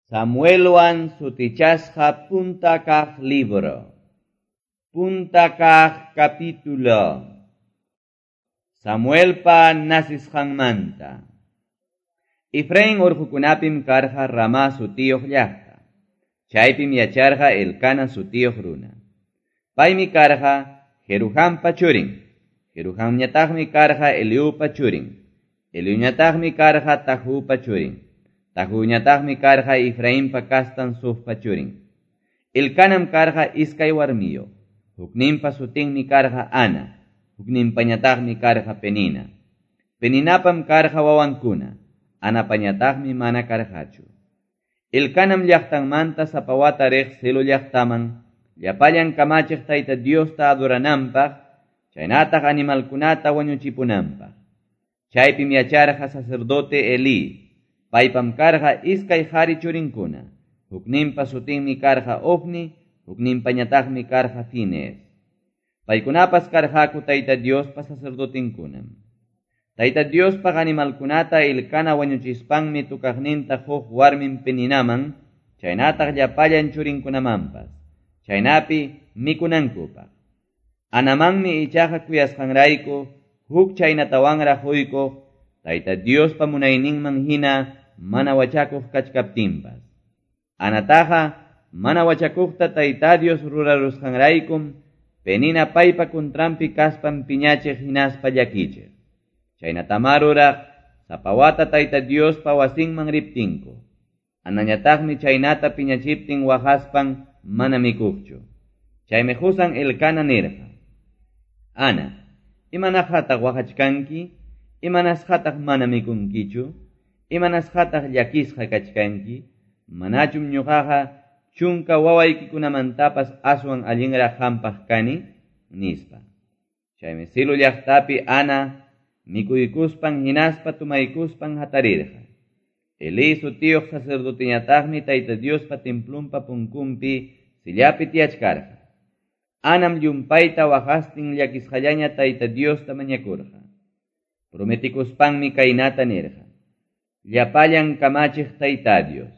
Samuelwan sutichasqa punta kaq libro. Punta kaq capítulo. Samuelpa nasisqanmanta. Efraín urqukunapim karqa Ramá sutiyuq llaqta. Chaypim yacharqa Elcana sutiyuq runa. Paymi karqa Jeruhampa churin. Jeruhamñataqmi karqa Eliupa churin. Eliuñataqmi karqa Tahupa churin. Tahuñataqmi karqa Efrainpa kastan Sufpa churin. Elcanam karqa iskay warmiyuq. Hukninpa sutinmi karqa Ana. Hukninpañataqmi karqa Penina. Peninapam karqa wawankuna. Anapañataqmi mana karqachu. Elcanam llaqtanmanta sapa wata riq Silo llaqtaman llapallan kamachiq Tayta Diosta adorananpaq, chaynataq animalkunata wañuchipunanpaq. Chaypim yacharqa sacerdote Elí. Paypam karqa iskay qhari churinkuna. Hukninpa sutinmi karqa Ofni, hukninpañataqmi karqa Finees. Paykunapas karqaku Tayta Diospa sacerdotinkunam. Tayta Diospaq animalkunata Elcana wañuchispanmi tukaqninta huk warmin Peninaman, chaynataq llapallan churinkunamanpas, chaynapi mikunankupaq. Anamanmi ichaqa kuyasqanrayku huk chaynatawanraq huykuq Tayta Diospa munayninman hina mana wachakuq kachkaptinpas. Anataqa mana wachakuqta Tayta Dios rurarusqanraykum Penina paypa kuntranpi kaspan piñachiq hinaspa llakichiq. Chaynatamá ruraq sapa wata Tayta Diospa wasinman riptinku. Anañataqmi chaynata piñachiptin waqaspan mana mikuqchu. Chaymi qusan Elcana nirqa: Ana, imanaqataq waqachkanki? Imanasqataq mana mikunkichu? Imanasqataq llakisqa kachkanki? Manachum ñuqaqa chunka wawaykikunamantapas aswan allinraq qampaq kani? Nispa. Chaymi Silo llaqtapi Ana mikuykuspan hinaspa tumaykuspan hatarirqa. Elí sutiyuq sacerdoteñataqmi Tayta Diospa templunpa punkunpi sillapi tiyachkarqa. Anam llumpayta waqastin llakisqallaña Tayta Diosta mañakurqa. Prometikuspanmi kaynata nirqa: Llapallan kamachiq Tayta Dios,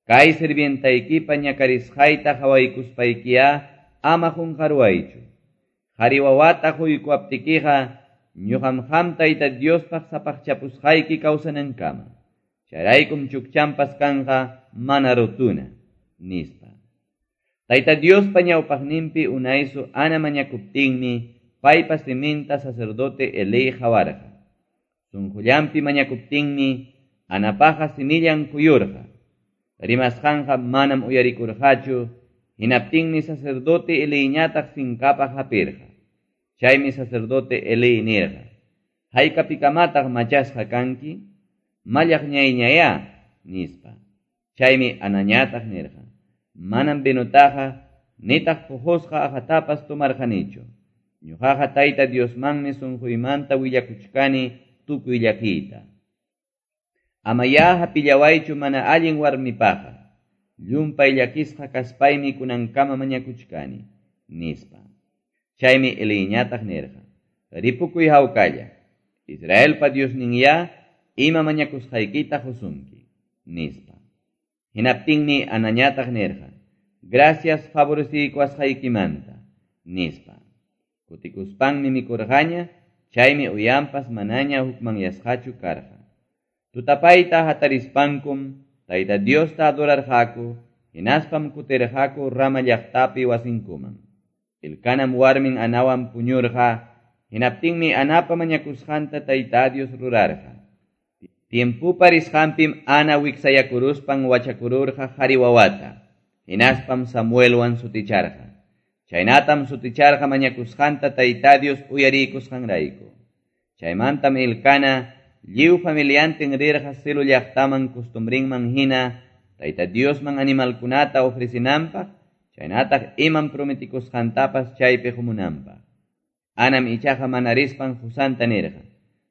kay sirvientaykipa ñakarisqayta qhawaykuspaykiyá ama qunqaruwaychu. Qhari wawata quykuwaptikiqa ñuqam qam Tayta Diospaq sapaqchapusqayki kawsanankama. Chayraykum chukchanpas kanqa mana rutuna, nispa. Tayta Diospa ñawpaqninpi unaysu Ana mañakuptinmi paypa siminta sacerdote Elí qawarqa. Sunqullanpi mañakuptinmi Anapaqa simillan kuyurqa. Rimasqanqa manam uyarikurqachu, hinaptinmi sacerdote Elíñataq sinkapaq hapirqa. Chaymi sacerdote Elí nirqa: Haykapikamataq machasqa kanki? Mallaqñayñayá, nispa. Chaymi Anañataq nirqa: Manam vinutaqa nitaq puqusqa aqhatapas tumarqanichu. Ñuqaqa Tayta Diosmanmi sunquymanta willakuchkani tukuy llakiyta. Amayá hapillawaychu mana allin warmipaqa. Llumpay llakisqa kaspaymi kunankama mañakuchkani, nispa. Chaymi Elíñataq nirqa: Ripukuy hawkalla. Israelpa Diosninyá ima mañakusqaykita qusunki, nispa. Hinaptinmi Anañataq nirqa: Gracias favoreciykuwasqaykimanta, nispa. Kutikuspanmi mikurqaña, chaymi uyanpas manaña hukmanyasqachu karqa. Tutapayta hatarispankum Tayta Diosta adorarqaku, hinaspam kutirqaku Rama llaqtapi wasinkuman. Elcanam warmin Anawan puñurqa, hinaptinmi Anapa mañakusqanta Tayta Dios rurarqa. Tiempupa risqanpim Ana wiksayakuruspan wachakururqa qhari wawata, hinaspam Samuelwan suticharqa. Chaynatam suticharqa mañakusqanta Tayta Dios uyarikusqanrayku. Chaymantam Elcana lliw familiantin rirqa Silo llaqtaman costumbrinman hina Tayta Diosman animalkunata ofrecinanpaq, chaynataq imam prometikusqantapas chaypi qumunanpaq. Anam ichaqa mana rispan qusanta nirqa: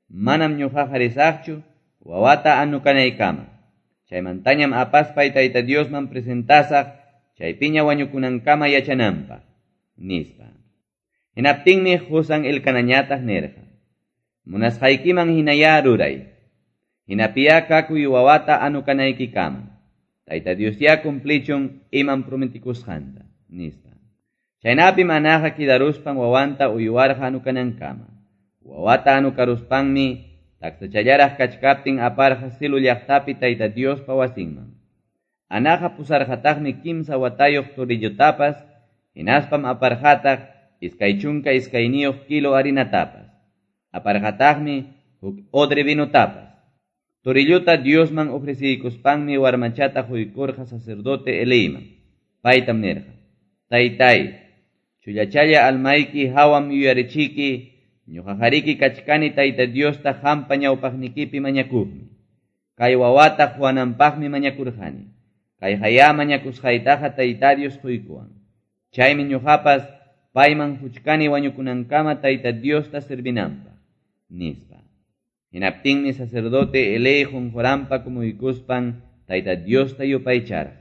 Manam ñuqaqa risaqchu wawata anukanaykama. Chaymantañam apaspay Tayta Diosman presentasaq chaypiña wañukunankama yachananpaq, nispa. Hinaptinmi qusan Elcanañataq nirqa: Munasqaykiman hinayá ruray. Hinapiyá kakuy wawata anukanaykikama. Tayta Diosyá cumplichun imam prometikusqanta, nispa. Chaynapim Anaqa kidaruspan wawanta uywarqa anukanankama. Wawata anukaruspanmi taksachallaraq kachkaptin aparqa Silo llaqtapi Tayta Diospa wasinman. Anaqa pusarqataqmi kimsa watayuq torillotapas, hinaspam aparqataq 22 kilo harinatapas. Aparqataqmi huk odre vinotapas. Torillota Diosman ofreciykuspanmi warmachata quykurqa sacerdote Eliyman. Paytam nirqa: Taytay, chullachalla almayki hawam yuyarichiki, ñuqaqariki kachkani Tayta Diosta qampa ñawpaqnikipi mañakuqmi. Kay wawata quwananpaqmi mañakurqani. Kayqayá mañakusqaytaqa Tayta Dios quykuwan. Chaymi ñuqapas payman quchkani wañukunankama Tayta Diosta servinanpaq, nispa. Hinaptinmi sacerdote Elí qunquranpa kumuykuspan Tayta Diosta yupaycharqa.